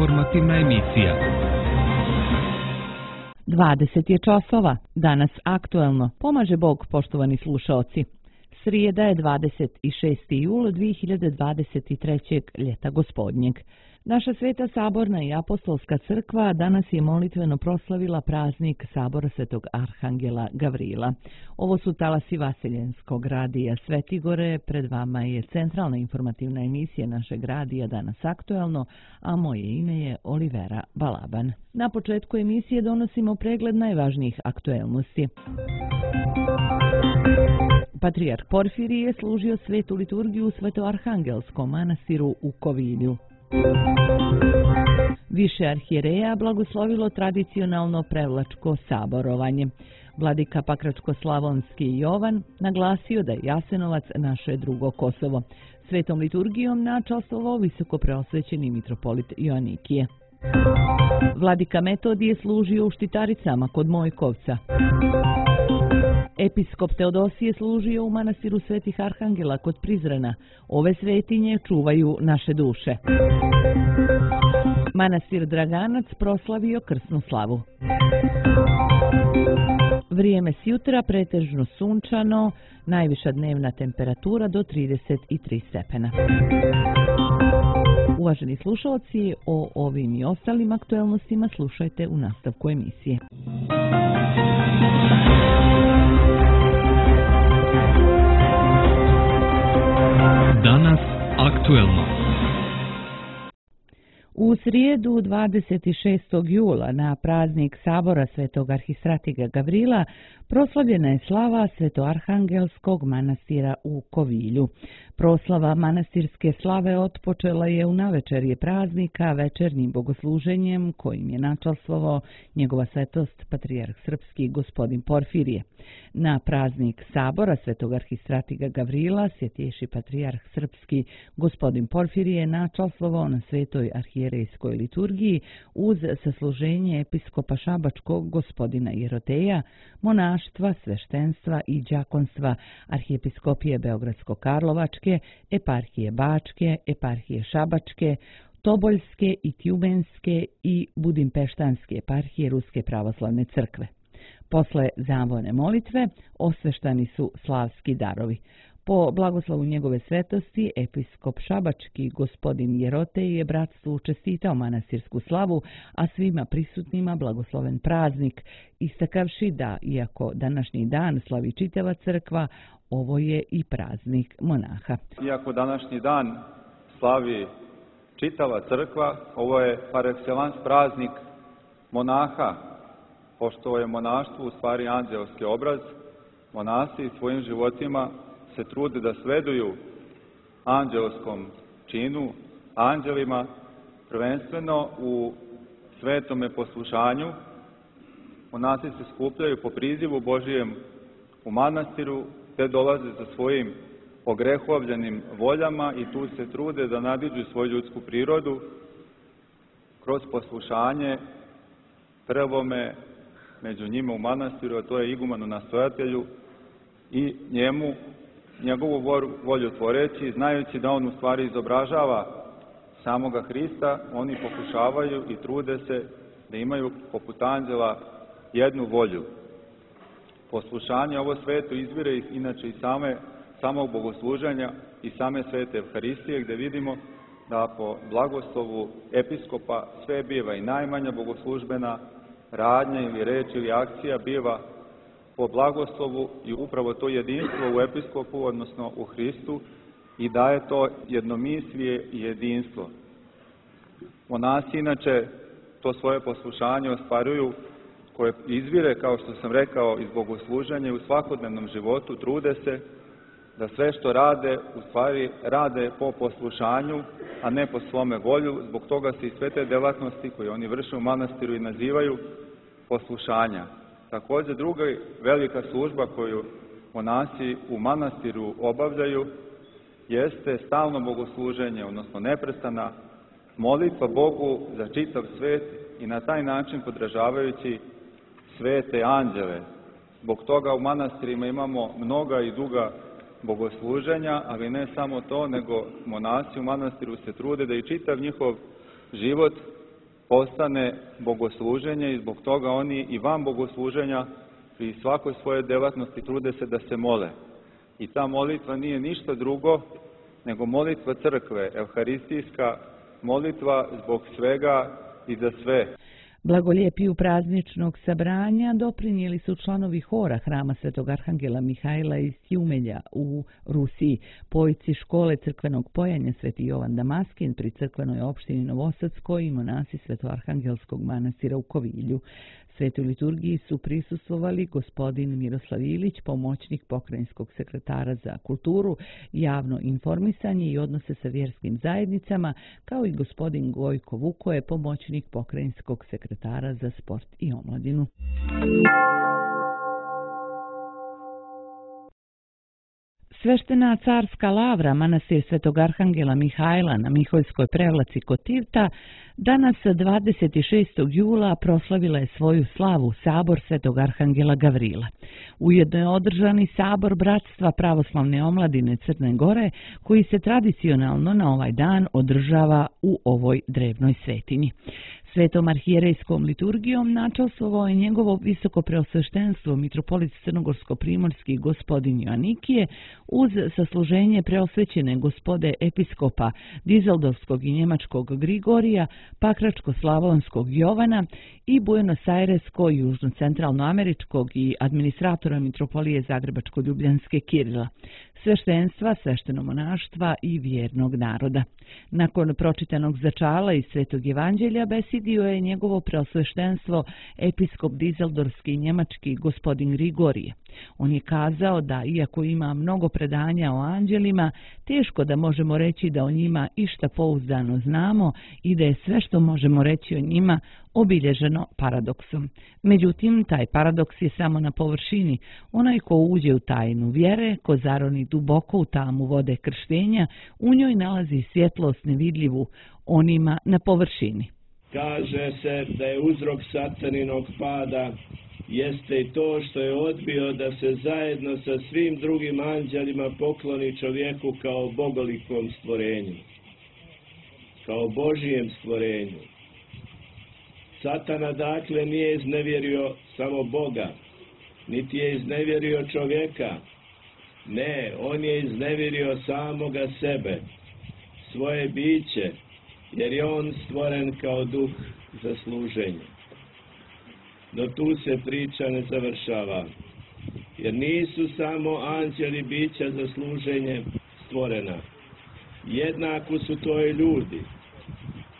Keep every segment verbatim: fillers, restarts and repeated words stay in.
informativna emisija. dvadeset je časova, danas aktuelno, pomaže Bog, poštovani slušaoci. Srijeda je dvadeset šesti jul dvije hiljade dvadeset trećeg. ljeta gospodnjeg. Naša Sveta Saborna i Apostolska crkva danas je molitveno proslavila praznik Sabora Svetog Arhangela Gavrila. Ovo su talasi Vaseljenskog radija Svetigore, pred vama je centralna informativna emisija našeg radija Danas aktuelno, a moje ime je Olivera Balaban. Na početku emisije donosimo pregled najvažnijih aktuelnosti. Patrijarh Porfirije je služio svetu liturgiju u Svetoarhangelskom manastiru u Kovilju. Više arhijereja blagoslovilo tradicionalno prevlačko saborovanje. Vladika Pakračko-slavonski Jovan naglasio da je Jasenovac naše drugo Kosovo. Svetom liturgijom načastvovao visoko preosvećeni mitropolit Joanikije. Vladika Metodije služio u Štitaricama kod Mojkovca. Episkop Teodosije služio u manastiru Svetih Arhangela kod Prizrena. Ove svetinje čuvaju naše duše. Manastir Draganac proslavio krsnu slavu. Vrijeme s jutra pretežno sunčano, najviša dnevna temperatura do trideset tri stepena. Uvaženi slušalci, o ovim i ostalim aktuelnostima slušajte u nastavku emisije. Danas aktuelno. U srijedu dvadeset šestog jula na praznik Sabora Svetog Arhistratiga Gavrila proslavljena je slava Svetoarhangelskog manastira u Kovilju. Proslava manastirske slave otpočela je u navečerje praznika večernjim bogosluženjem kojim je načastvovao njegova svetost Patrijarh Srpski gospodin Porfirije. Na praznik Sabora Svetog Arhistratiga Gavrila Svjetejši Patrijarh Srpski gospodin Porfirije načastvovao na svetoj arhijerejskoj liturgiji uz sasluženje episkopa Šabačkog gospodina Jeroteja, monaštva, sveštenstva i đakonstva Arhijepiskopije Beogradsko-Karlovačke, Eparhije Bačke, Eparhije Šabačke, Toboljske i Tjubenske i Budimpeštanske eparhije Ruske pravoslavne crkve. Posle zavone molitve osveštani su slavski darovi. Po blagoslovu njegove svetosti, episkop Šabački gospodin Jerotej je bratstvu čestitao manastirsku slavu, a svima prisutnima blagosloven praznik, istakavši da, iako današnji dan slavi čitava crkva, ovo je i praznik monaha. Iako današnji dan slavi čitava crkva, ovo je par excellence praznik monaha, pošto je monaštvo u stvari anđelski obraz. Monasi svojim životima se trude da sveduju anđelskom činu, anđelima, prvenstveno u svetome poslušanju. Monasi se skupljaju po prizivu Božijem u manastiru, te dolaze sa svojim ogrehovljenim voljama i tu se trude da nadiđu svoju ljudsku prirodu kroz poslušanje prvome među njima u manastiru, a to je igumanu nastojatelju, i njemu njegovu volju tvoreći, znajući da on u stvari izobražava samoga Hrista, oni pokušavaju i trude se da imaju poput anđela jednu volju. Poslušanje ovo sveto izvire inače i same, samog bogosluženja i same svete Evharistije, gde vidimo da po blagoslovu episkopa sve biva i najmanja bogoslužbena radnja ili reč ili akcija biva po blagoslovu i upravo to jedinstvo u episkopu, odnosno u Hristu, i daje to jednomislije i jedinstvo. Monasi inače to svoje poslušanje ostvaruju, koje izvire, kao što sam rekao, iz bogosluženja u svakodnevnom životu, trude se da sve što rade, u stvari rade po poslušanju, a ne po svome volju. Zbog toga se i sve te delatnosti koje oni vrše u manastiru i nazivaju poslušanja. Također druga velika služba koju monasi u manastiru obavljaju jeste stalno bogosluženje, odnosno neprestana molitva Bogu za čitav svet i na taj način podražavajući svete anđele. Zbog toga u manastirima imamo mnoga i duga bogosluženja, ali ne samo to, nego monasi u manastiru se trude da i čitav njihov život postane bogosluženje i zbog toga oni i van bogosluženja pri svakoj svojoj delatnosti trude se da se mole. I ta molitva nije ništa drugo nego molitva crkve, evharistijska molitva zbog svega i za sve. Blagoljepiju prazničnog sabranja doprinijeli su članovi hora Hrama Svetog Arhangela Mihajla iz Tjumelja u Rusiji, pojci škole crkvenog pojanja Sveti Jovan Damaskin pri crkvenoj opštini Novosadskoj i monasi Svetoarhangelskog manastira u Kovilju. Svetoj liturgiji su prisustvovali gospodin Miroslav Ilić, pomoćnik pokrajinskog sekretara za kulturu, javno informisanje i odnose sa vjerskim zajednicama, kao i gospodin Gojko Vukoje, pomoćnik pokrajinskog sekretara za sport i omladinu. Sveštena carska lavra manastir Svetog Arhangela Mihajla na Miholjskoj prevlaci kod Tivta danas dvadeset šestog jula proslavila je svoju slavu sabor Svetog Arhangela Gavrila. Ujedno je održani sabor Bratstva pravoslavne omladine Crne Gore, koji se tradicionalno na ovaj dan održava u ovoj drevnoj svetinji. Svetom arhijerejskom liturgijom načastvovao je njegovo visoko preosveštenstvo mitropolit crnogorsko-primorski gospodin Joanikije uz sasluženje preosvećene gospode episkopa Dizeldorfskog i njemačkog Grigorija, pakračko-slavonskog Jovana i Buenos-Airesko, južno-centralnoameričkog i administratora mitropolije Zagrebačko-ljubljanske Kirila, sveštenstva, sveštenomonaštva i vjernog naroda. Nakon pročitanog začala iz Svetog evanđelja besidio je njegovo preosveštenstvo episkop Dizeldorfski i njemački gospodin Grigorije. On je kazao da, iako ima mnogo predanja o anđelima, teško da možemo reći da o njima išta pouzdano znamo i da je sve što možemo reći o njima obilježeno paradoksom. Međutim, taj paradoks je samo na površini. Onaj ko uđe u tajnu vjere, ko zaroni duboko u tamu vode krštenja, u njoj nalazi svjetlost nevidljivu onima na površini. Kaže se da je uzrok sataninog pada jeste i to što je odbio da se zajedno sa svim drugim anđelima pokloni čovjeku kao bogolikom stvorenju, kao Božijem stvorenju. Satana dakle nije iznevjerio samo Boga, niti je iznevjerio čovjeka. Ne, on je iznevjerio samoga sebe, svoje biće, jer je on stvoren kao duh za služenje. No tu se priča ne završava, jer nisu samo anđeli bića za služenje stvorena. Jednako su to i ljudi,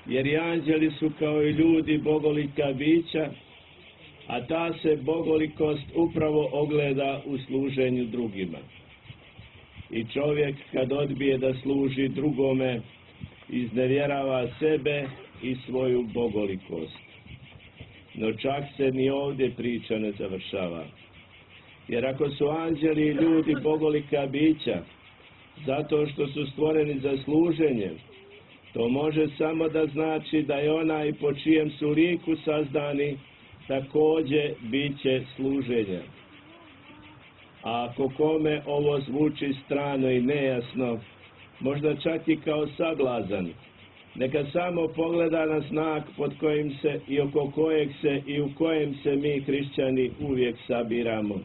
jer i anđeli su kao i ljudi bogolika bića, a ta se bogolikost upravo ogleda u služenju drugima. I čovjek kad odbije da služi drugome, iznevjerava sebe i svoju bogolikost. No čak se ni ovdje priča ne završava. Jer ako su anđeli i ljudi bogolika bića, zato što su stvoreni za služenje, to može samo da znači da je onaj po čijem su liku sazdani također biće služenja. A ako kome ovo zvuči strano i nejasno, možda čak i kao sablazan, neka samo pogleda na znak pod kojim se i oko kojeg se i u kojem se mi hrišćani uvijek sabiramo,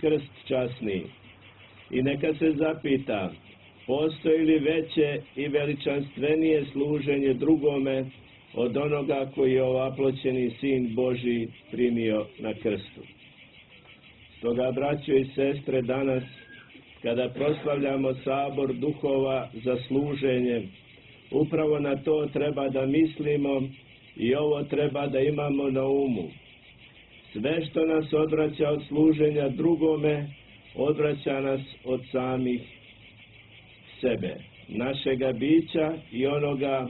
krst časni. I neka se zapita, postoji li veće i veličanstvenije služenje drugome od onoga koji je ovaploćeni Sin Božji primio na krstu. Stoga, braćo i sestre, danas, kada proslavljamo sabor duhova za služenje, upravo na to treba da mislimo i ovo treba da imamo na umu. Sve što nas odvraća od služenja drugome, odvraća nas od samih sebe, našega bića i onoga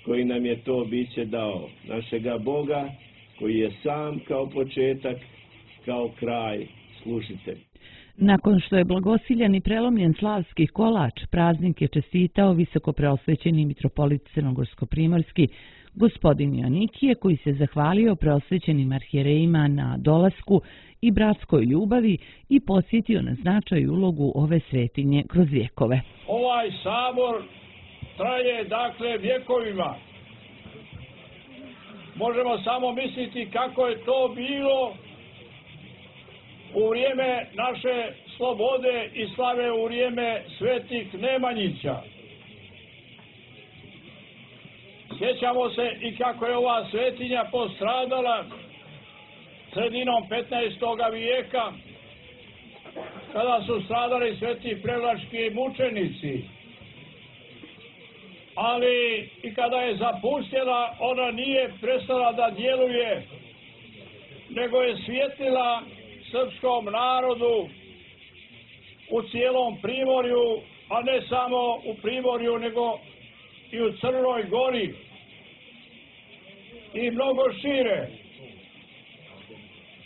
koji nam je to biće dao, našega Boga koji je sam kao početak, kao kraj, služitelj. Nakon što je blagosiljan i prelomljen slavski kolač, praznik je čestitao visoko preosvećeni mitropolit crnogorsko-primorski gospodin Joanikije, koji se zahvalio preosvećenim arhijerejima na dolasku i bratskoj ljubavi i podsjetio na značaj i ulogu ove svetinje kroz vjekove. Ovaj sabor traje dakle vjekovima možemo samo misliti kako je to bilo u vrijeme naše slobode i slave, u vrijeme svetih Nemanjića. Sjećamo se i kako je ova svetinja postradala sredinom petnaestog vijeka, kada su stradali sveti prevlački mučenici. Ali i kada je zapustila, ona nije prestala da djeluje, nego je svjetlila srpskom narodu u cijelom Primorju, a ne samo u Primorju, nego i u Crnoj Gori i mnogo šire.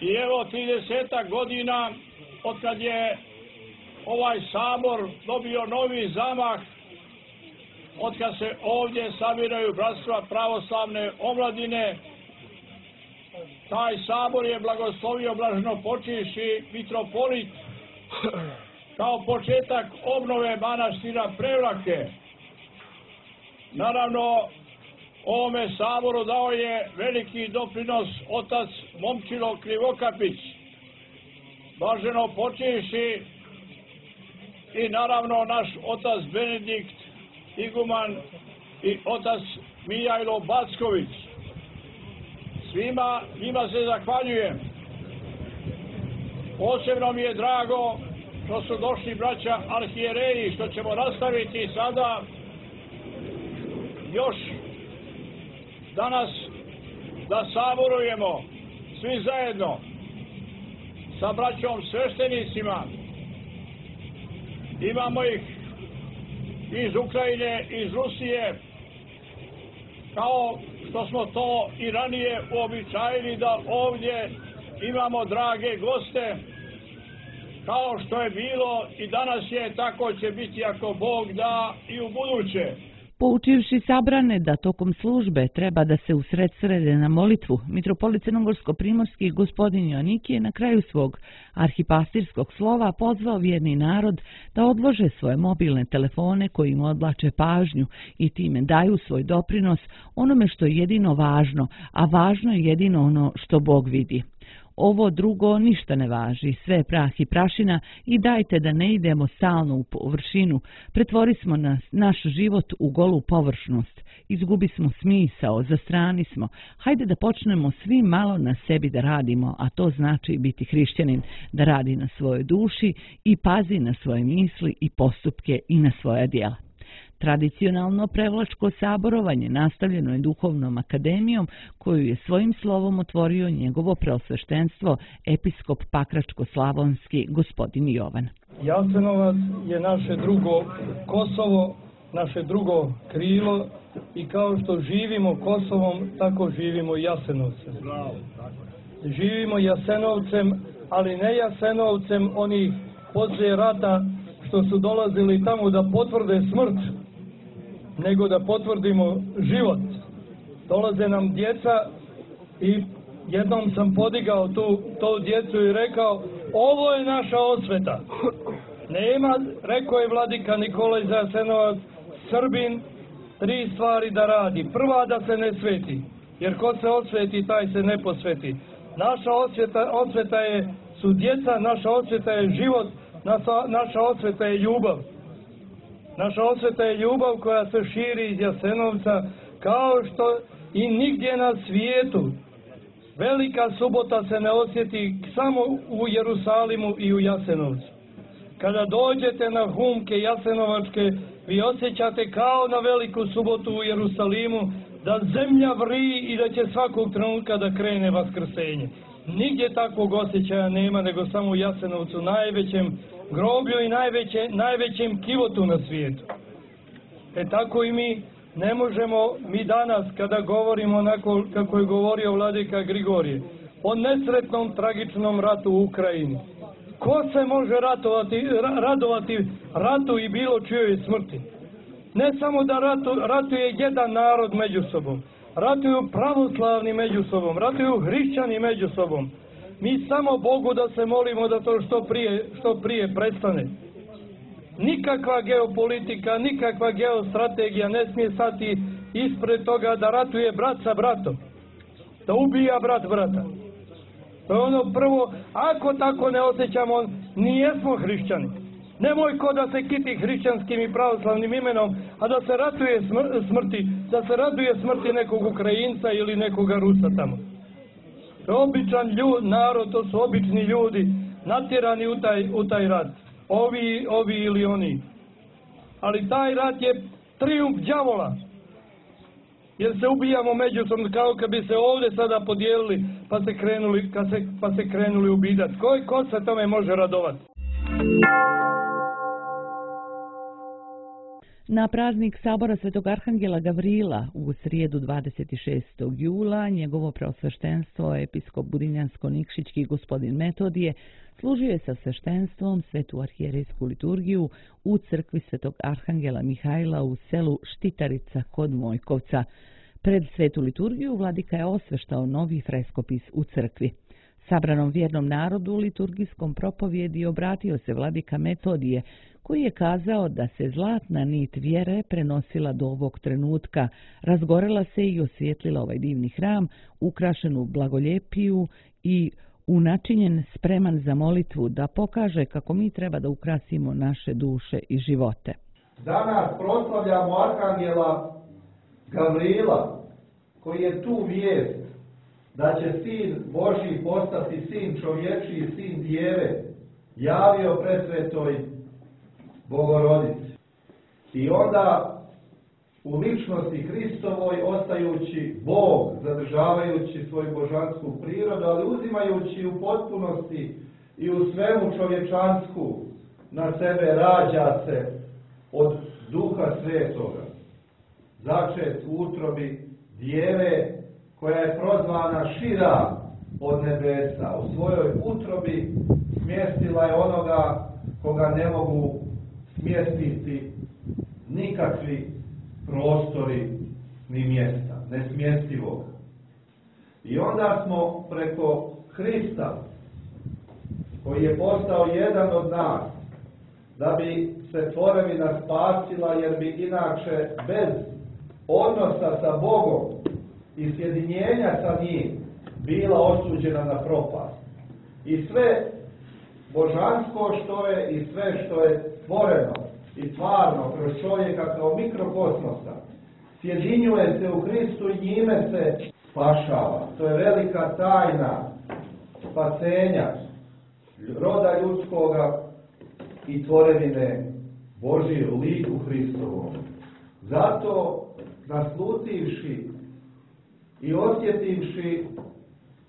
I evo tridesetak godina otkad je ovaj sabor dobio novi zamah, otkad se ovdje sabiraju bratstva pravoslavne omladine, taj sabor je blagoslovio blaženopočivši mitropolit kao početak obnove manastira Prevlake. Naravno, ovome saboru dao je veliki doprinos otac Momčilo Krivokapić, blaženopočivši, i naravno naš otac Benedikt Iguman i otac Mijajlo Backović. Svima njima se zahvaljujem. Posebno mi je drago što su došli braća arhijereji, što ćemo nastaviti sada još danas da saborujemo svi zajedno sa braćom sveštenicima. Imamo ih iz Ukrajine, iz Rusije, kao što smo to i ranije uobičajili da ovdje imamo drage goste, kao što je bilo i danas je, tako će biti ako Bog da i u buduće. Poučivši sabrane da tokom službe treba da se usredsrede na molitvu, mitropolit crnogorsko-primorski gospodin Joanikije je na kraju svog arhipastirskog slova pozvao vjerni narod da odlože svoje mobilne telefone koji im odvlače pažnju i time daju svoj doprinos onome što je jedino važno, a važno je jedino ono što Bog vidi. Ovo drugo ništa ne važi, sve je prah i prašina i dajte da ne idemo stalno u površinu, pretvorismo nas, naš život u golu površnost, izgubismo smisao, zastranismo, hajde da počnemo svi malo na sebi da radimo, a to znači biti hrišćanin, da radi na svojoj duši i pazi na svoje misli i postupke i na svoja djela. Tradicionalno prevlačko saborovanje nastavljeno je duhovnom akademijom koju je svojim slovom otvorio njegovo preosveštenstvo episkop Pakračko-slavonski gospodin Jovan. Jasenovac je naše drugo Kosovo, naše drugo krilo i kao što živimo Kosovom, tako živimo i Jasenovcem. Živimo Jasenovcem, ali ne Jasenovcem onih poslije rata što su dolazili tamo da potvrde smrt, nego da potvrdimo život. Dolaze nam djeca i jednom sam podigao tu, tu djecu i rekao, ovo je naša osveta. Nema, rekao je vladika Nikolaj Jasenovac, Srbin, tri stvari da radi. Prva, da se ne sveti, jer ko se osveti, taj se ne posveti. Naša osveta, osveta je, su djeca, naša osveta je život, naša, naša osveta je ljubav. Naša osveta je ljubav koja se širi iz Jasenovca, kao što i nigdje na svijetu. Velika subota se ne osjeti samo u Jerusalimu i u Jasenovcu. Kada dođete na humke jasenovačke, vi osjećate kao na veliku subotu u Jerusalimu, da zemlja vri i da će svakog trenutka da krene vaskrsenje. Nigdje takvog osjećaja nema, nego samo u Jasenovcu, najvećem groblju i najveće, najvećem kivotu na svijetu. E tako i mi ne možemo, mi danas kada govorimo onako kako je govorio vladika Grigorije, o nesretnom tragičnom ratu u Ukrajini. Ko se može ratovati, radovati ratu i bilo čijoj smrti? Ne samo da ratu, ratuje jedan narod među sobom, ratuju pravoslavni među sobom, ratuju hrišćani među sobom. Mi samo Bogu da se molimo da to što prije, što prije prestane. Nikakva geopolitika, nikakva geostrategija ne smije stati ispred toga da ratuje brat sa bratom. da ubija brat brata. To je ono prvo, ako tako ne osjećamo, nijesmo hrišćani. Nemoj ko da se kiti hrišćanskim i pravoslavnim imenom, a da se ratuje smrti, da se raduje smrti nekog Ukrajinca ili nekoga Rusa tamo. To je običan ljud, narod, to su obični ljudi, natjerani u taj, u taj rat. Ovi, ovi ili oni. Ali taj rat je trijumf đavola. Jer se ubijamo međusobno kao kad bi se ovdje sada podijelili pa se krenuli, kad se, pa se krenuli ubijati. Ko, ko se tome može radovati? Na praznik Sabora Svetog Arhangela Gavrila u srijedu dvadeset šestog jula njegovo preosveštenstvo episkop Budinjansko-Nikšićki gospodin Metodije služio je sa sveštenstvom svetu arhijerejsku liturgiju u crkvi Svetog Arhangela Mihajla u selu Štitarica kod Mojkovca. Pred svetu liturgiju vladika je osveštao novi freskopis u crkvi. Sabranom vjernom narodu u liturgijskom propovjedi obratio se vladika Metodije, koji je kazao da se zlatna nit vjere prenosila do ovog trenutka, razgorela se i osvijetlila ovaj divni hram, ukrašenu blagoljepiju i unačinjen spreman za molitvu, da pokaže kako mi treba da ukrasimo naše duše i živote. Danas proslavljamo Arhangela Gavrila, koji je tu vijest da će sin Božji postati sin čovječiji, sin djeve, javio presvetoj Bogorodici. I onda u ličnosti Hristovoj, ostajući Bog, zadržavajući svoju božansku prirodu, ali uzimajući u potpunosti i u svemu čovječansku na sebe, rađa se od Duha Svetoga, začet u utrobi djeve koja je prozvana šira od nebesa. U svojoj utrobi smjestila je onoga koga ne mogu smjestiti nikakvi prostori ni mjesta, nesmjestivog. I onda smo preko Hrista, koji je postao jedan od nas, da bi se tvorevina spasila, jer bi inače bez odnosa sa Bogom i sjedinjenja sa njim bila osuđena na propast. I sve božansko što je i sve što je stvoreno i stvarno kroz čovjeka kao mikrokosmosa sjedinjuje se u Hristu i njime se spašava. To je velika tajna spasenja roda ljudskoga i tvorevine Božije u liku Hristovom. Zato naslutivši i osjetivši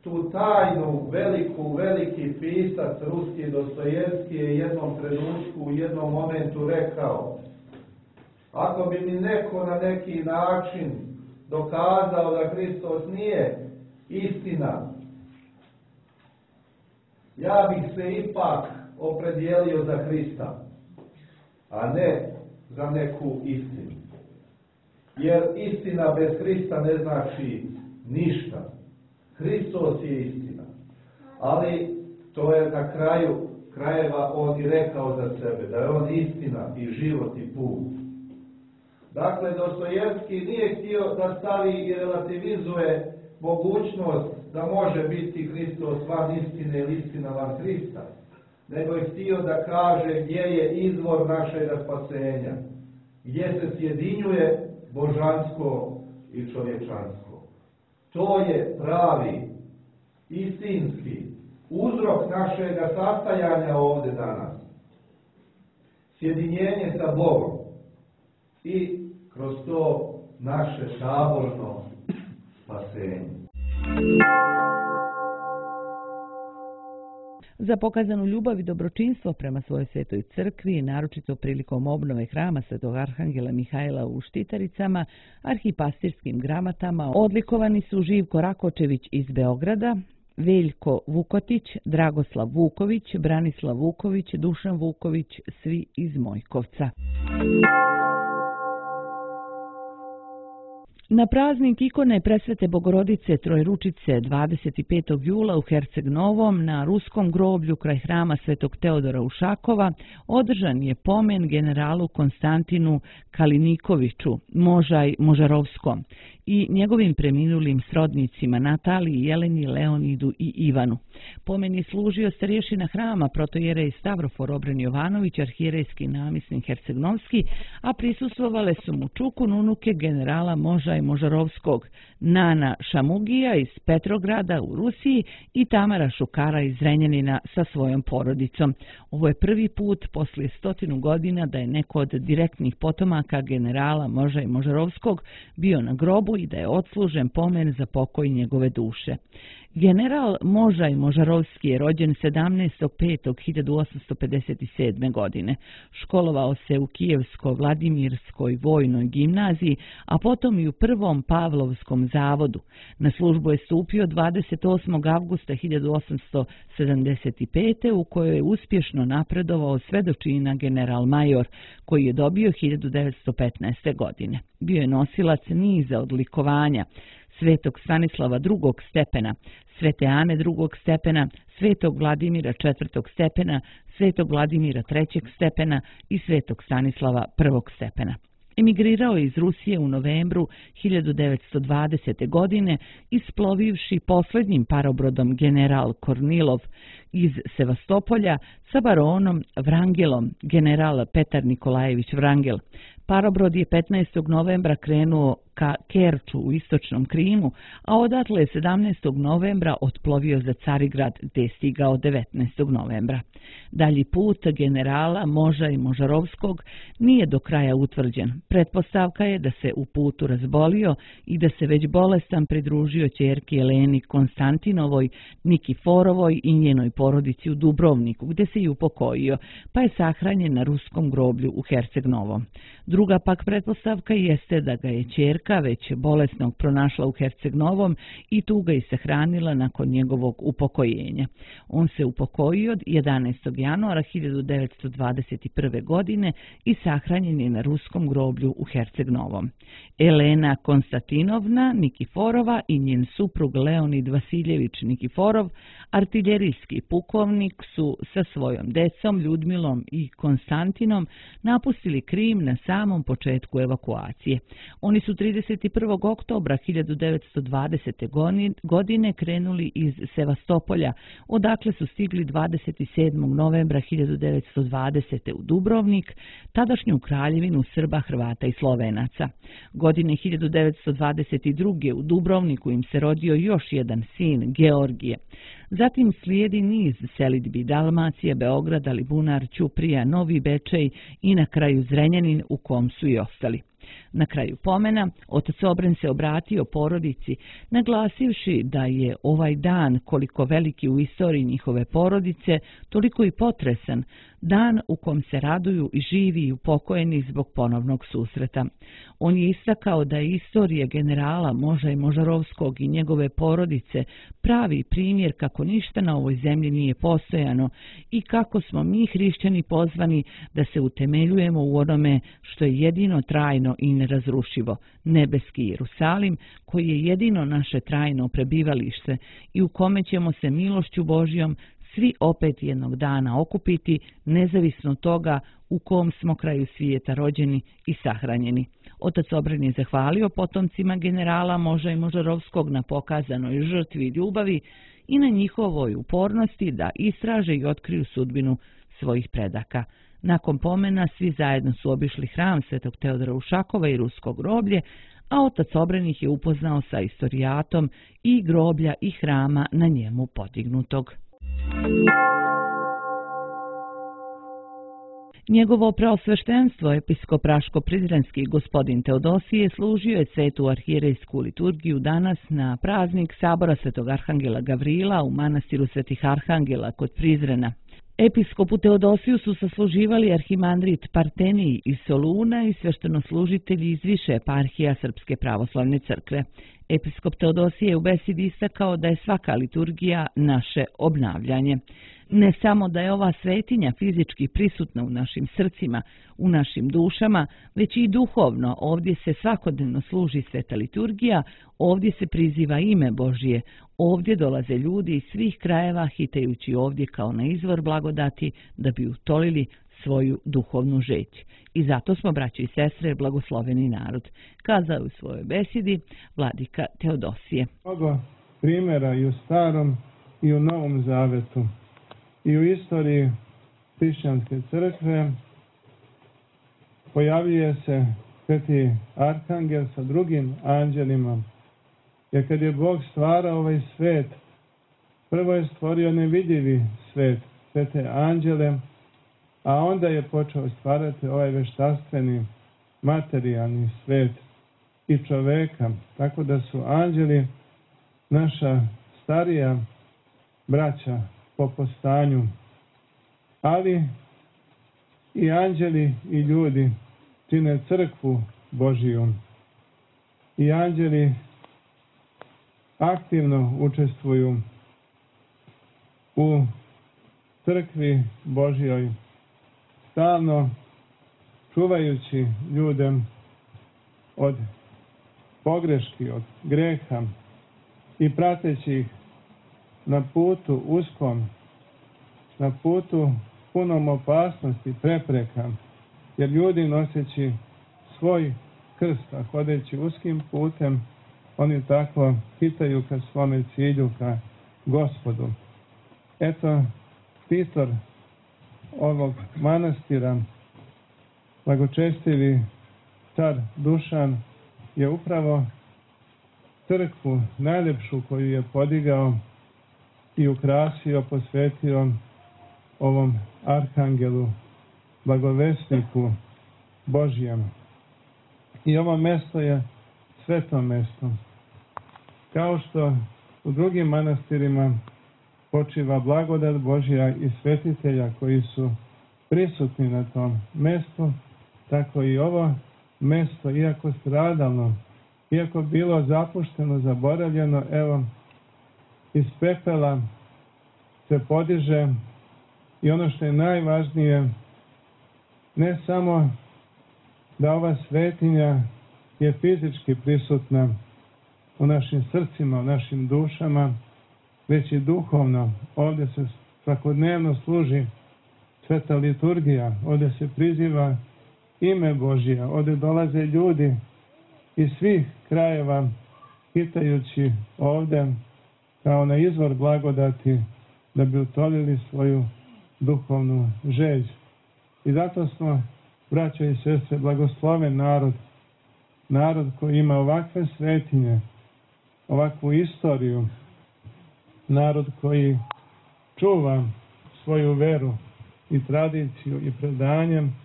tu tajnu veliku, veliki pisac ruski Dostojevski je jednom trenutku, u jednom momentu rekao: ako bi mi neko na neki način dokazao da Hristos nije istina, ja bih se ipak opredijelio za Hrista, a ne za neku istinu. Jer istina bez Hrista ne znači ništa. Hristos je istina. Ali to je na kraju krajeva on i rekao za sebe, da je on istina i život i put. Dakle, Dostojevski nije htio da stavi i relativizuje mogućnost da može biti Hristos van istine ili istina van Hrista, nego je htio da kaže gdje je izvor našega spasenja, gdje se sjedinjuje božansko i čovječansko. To je pravi, istinski uzrok našega sastajanja ovdje danas. Sjedinjenje sa Bogom i kroz to naše saborno spasenje. Za pokazanu ljubav i dobročinstvo prema svojoj svetoj crkvi, naročito prilikom obnove hrama Svetog Arhangela Mihajla u Štitaricama, arhipastirskim gramatama odlikovani su Živko Rakočević iz Beograda, Veljko Vukotić, Dragoslav Vuković, Branislav Vuković, Dušan Vuković, svi iz Mojkovca. Na praznik ikone Presvete Bogorodice Trojručice dvadeset petog jula u Herceg Novom na ruskom groblju kraj hrama Svetog Teodora Ušakova održan je pomen generalu Konstantinu Kalinikoviću, Možaj Možarovskom, i njegovim preminulim srodnicima Nataliji, Jeleni, Leonidu i Ivanu. Pomen je služio starješina hrama protojerej Stavrofor Obren Jovanović, arhijerejski namjesnik Herceg-Novski, a prisustvovale su mu čukun unuke generala Moža i Možarovskog, Nana Šamugija iz Petrograda u Rusiji i Tamara Šukara iz Zrenjanina sa svojom porodicom. Ovo je prvi put poslije stotinu godina da je neko od direktnih potomaka generala Moža i Možarovskog bio na grobu i da je odslužen pomen za pokoj njegove duše. General Moža i Možarovski je rođen sedamnaestog petog hiljadu osamsto pedeset sedme. godine. Školovao se u Kijevsko-Vladimirskoj vojnoj gimnaziji, a potom i u prvom Pavlovskom zavodu. Na službu je stupio dvadeset osmog avgusta hiljadu osamsto sedamdeset pete. u kojoj je uspješno napredovao sve do čina general major, koji je dobio hiljadu devetsto petnaeste. godine. Bio je nosilac niza odlikovanja: Svetog Stanislava drugog stepena, Svete Ane drugog stepena, Svetog Vladimira četvrtog stepena, Svetog Vladimira trećeg stepena i Svetog Stanislava prvog stepena. Emigrirao je iz Rusije u novembru hiljadu devetsto dvadesete. godine, isplovivši posljednjim parobrodom general Kornilov iz Sevastopolja sa baronom Vrangelom, general Petar Nikolajević Vrangel. Parobrod je petnaestog novembra krenuo ka Kerču u istočnom Krimu, a odatle je sedamnaestog novembra otplovio za Carigrad, gdje je stigao devetnaestog novembra. Dalji put generala Moža i Možarovskog nije do kraja utvrđen. Pretpostavka je da se u putu razbolio i da se već bolestan pridružio ćerki Eleni Konstantinovoj, Nikiforovoj i njenoj porodici u Dubrovniku, gdje se i upokojio, pa je sahranjen na ruskom groblju u Herceg-Novom. Druga pak pretpostavka jeste da ga je ćerka već bolesnog pronašla u Herceg-Novom i tu ga i sahranila nakon njegovog upokojenja. On se upokojio jedanaestog januara hiljadu devetsto dvadeset prve. godine i sahranjen je na ruskom groblju u Herceg-Novom. Elena Konstantinovna Nikiforova i njen suprug Leonid Vasiljević Nikiforov, artiljerijski pukovnik, su sa svojom decom Ljudmilom i Konstantinom napustili Krim na samom početku evakuacije. Oni su trideset prvog oktobra hiljadu devetsto dvadesete. godine krenuli iz Sevastopolja, odakle su stigli dvadeset sedmog novembra hiljadu devetsto dvadesete. u Dubrovnik, tadašnju kraljevinu Srba, Hrvata i Slovenaca. Godine hiljadu devetsto dvadeset druge. u Dubrovniku im se rodio još jedan sin, Georgije. Zatim slijedi niz selidbi: Dalmacija, Beograd, Alibunar, Ćuprija, Novi Bečej i na kraju Zrenjanin, u kom su i ostali. Na kraju pomena, otac Obren se obratio porodici, naglasivši da je ovaj dan, koliko veliki u istoriji njihove porodice, toliko i potresan, dan u kom se raduju i živi i upokojeni zbog ponovnog susreta. On je istakao da je istorija generala Moža i Možarovskog i njegove porodice pravi primjer kako ništa na ovoj zemlji nije postojano i kako smo mi hrišćani pozvani da se utemeljujemo u onome što je jedino trajno i nerazrušivo, nebeski Jerusalim, koji je jedino naše trajno prebivalište i u kome ćemo se milošću Božjom svi opet jednog dana okupiti, nezavisno od toga u kom smo kraju svijeta rođeni i sahranjeni. Otac Obren je zahvalio potomcima generala Moža i Možarovskog na pokazanoj žrtvi i ljubavi i na njihovoj upornosti da istraže i otkriju sudbinu svojih predaka. Nakon pomena svi zajedno su obišli hram Svetog Teodora Ušakova i rusko groblje, a otac Obren ih je upoznao sa istorijatom i groblja i hrama na njemu podignutog. Njegovo preosveštenstvo, episkop Raško-Prizrenski gospodin Teodosije, služio je svetu arhijerejsku liturgiju danas na praznik Sabora Svetog Arhangela Gavrila u manastiru Svetih Arhangela kod Prizrena. Episkopu Teodosiju su sasluživali arhimandrit Partenij iz Soluna i sveštenoslužitelji iz više eparhija Srpske pravoslavne crkve. Episkop Teodosije je u besedi istakao da je svaka liturgija naše obnavljanje. Ne samo da je ova svetinja fizički prisutna u našim srcima, u našim dušama, već i duhovno. Ovdje se svakodnevno služi sveta liturgija, ovdje se priziva ime Božje, ovdje dolaze ljudi iz svih krajeva hitajući ovdje kao na izvor blagodati da bi utolili svoju duhovnu žeć. I zato smo, braćo i sestre, blagosloveni narod, kazao u svojoj besedi vladika Teodosije. Mnogo primjera i u Starom i u Novom Zavetu i u istoriji hrišćanske crkve pojavljuje se sveti arhangel sa drugim anđelima. Jer kad je Bog stvarao ovaj svet, prvo je stvorio nevidljivi svet, svete anđele, a onda je počeo stvarati ovaj veštaštveni, materijalni svet i čoveka. Tako da su anđeli naša starija braća po postanju, ali i anđeli i ljudi čine crkvu Božiju. I anđeli aktivno učestvuju u crkvi Božjoj, stalno čuvajući ljude od pogreški, od greha i prateći ih na putu uskom, na putu punom opasnosti, prepreka, jer ljudi noseći svoj krst, a hodeći uskim putem, oni tako hitaju ka svome cilju, ka Gospodu. Eto, pisor ovog manastira, blagočestivi car Dušan, je upravo crkvu najljepšu koju je podigao i ukrasio, posvetio ovom arhangelu, blagovesniku Božjem. I ovo mesto je sveto mesto. Kao što u drugim manastirima počiva blagodat Božja i svetitelja koji su prisutni na tom mestu, tako i ovo mesto, iako stradalno, iako bilo zapušteno, zaboravljeno, evo, iz pepela se podiže i ono što je najvažnije, ne samo da ova svetinja je fizički prisutna u našim srcima, u našim dušama, već i duhovno. Ovdje se svakodnevno služi sveta liturgija, ovdje se priziva ime Božje, ovdje dolaze ljudi iz svih krajeva hitajući ovdje kao na izvor blagodati da bi utolili svoju duhovnu žeđ. I zato smo, braćo i sestre, blagosloven narod, narod koji ima ovakve svetinje, ovakvu istoriju, narod koji čuva svoju veru i tradiciju i predanjem.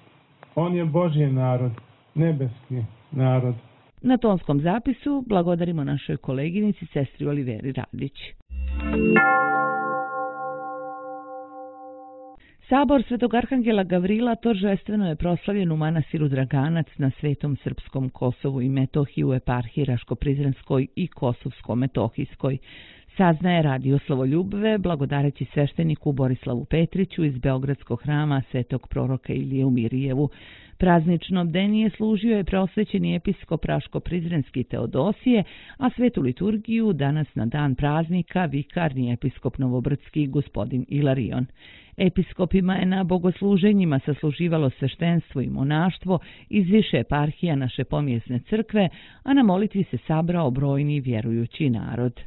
On je Božji narod, nebeski narod. Na tonskom zapisu blagodarimo našoj koleginici, sestri Oliveri Radić. Sabor Svetog Arhangela Gavrila toržestveno je proslavljen u manastiru Draganac na Svetom Srpskom Kosovu i Metohiji u eparhiji Raško-Prizrenskoj i Kosovsko-Metohijskoj. Saznaje Radio Slavoljubve blagodareći svešteniku Borislavu Petriću iz Beogradskog hrama Svetog proroka Ilije u Mirijevu. Praznično bdenije služio je preosvećeni episkop Raško-Prizrenski Teodosije, a svetu liturgiju danas na dan praznika vikarni episkop Novobrdski gospodin Ilarion. Episkopima je na bogosluženjima sasluživalo sveštenstvo i monaštvo iz više eparhija naše pomjesne crkve, a na molitvi se sabrao brojni vjerujući narod.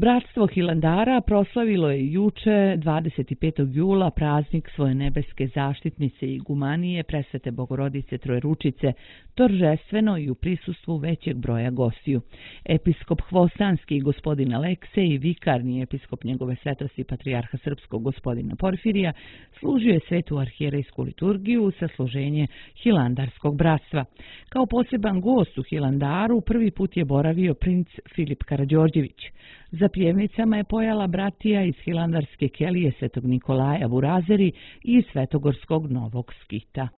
Bratstvo Hilandara proslavilo je juče, dvadeset petog jula, praznik svoje nebeske zaštitnice i igumanije Presvete Bogorodice Trojeručice, toržestveno i u prisustvu većeg broja gostiju. Episkop Hvostanski gospodin Aleksej i vikarni episkop njegove svetosti patrijarha srpskog gospodina Porfirija služio je svetu arhijerejsku liturgiju sa služenje Hilandarskog bratstva. Kao poseban gost u Hilandaru prvi put je boravio princ Filip Karađorđević. Za pjevnicama je pojala bratija iz Hilandarske kelije Svetog Nikolaja Vurazeri i Svetogorskog Novog Skita.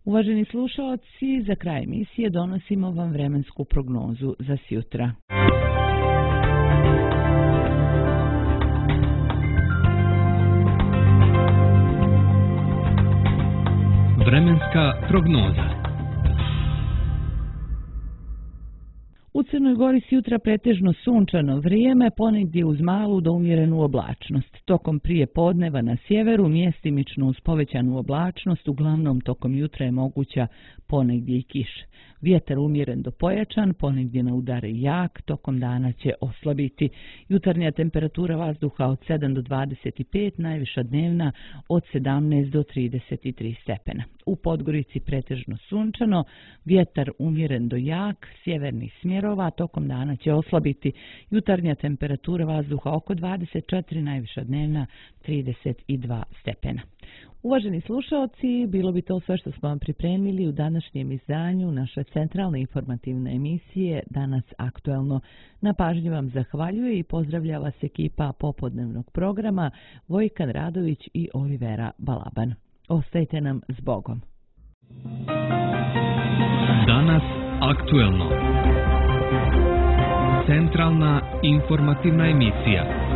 Uvaženi slušaoci, za kraj emisije donosimo vam vremensku prognozu za sjutra. Vremenska prognoza. U Crnoj Gori s jutra pretežno sunčano vrijeme, ponegdje uz malu do umjerenu oblačnost. Tokom prije podneva na sjeveru mjestimično uz povećanu oblačnost, uglavnom tokom jutra je moguća ponegdje i kiša. Vjetar umjeren do pojačan, ponegdje na udare jak, tokom dana će oslabiti. Jutarnja temperatura vazduha od sedam do dvadeset pet, najviša dnevna od sedamnaest do trideset tri stepena. U Podgorici pretežno sunčano, vjetar umjeren do jak, sjevernih smjerova, tokom dana će oslabiti. Jutarnja temperatura vazduha oko dvadeset četiri, najviša dnevna trideset dva stepena. Uvaženi slušalci, bilo bi to sve što smo vam pripremili u današnjem izdanju naše centralne informativne emisije Danas aktuelno. Na pažnji vam zahvaljuje i pozdravlja vas ekipa popodnevnog programa Vojkan Radović i Olivera Balaban. Ostajte nam s Bogom. Danas aktuelno. Centralna informativna emisija.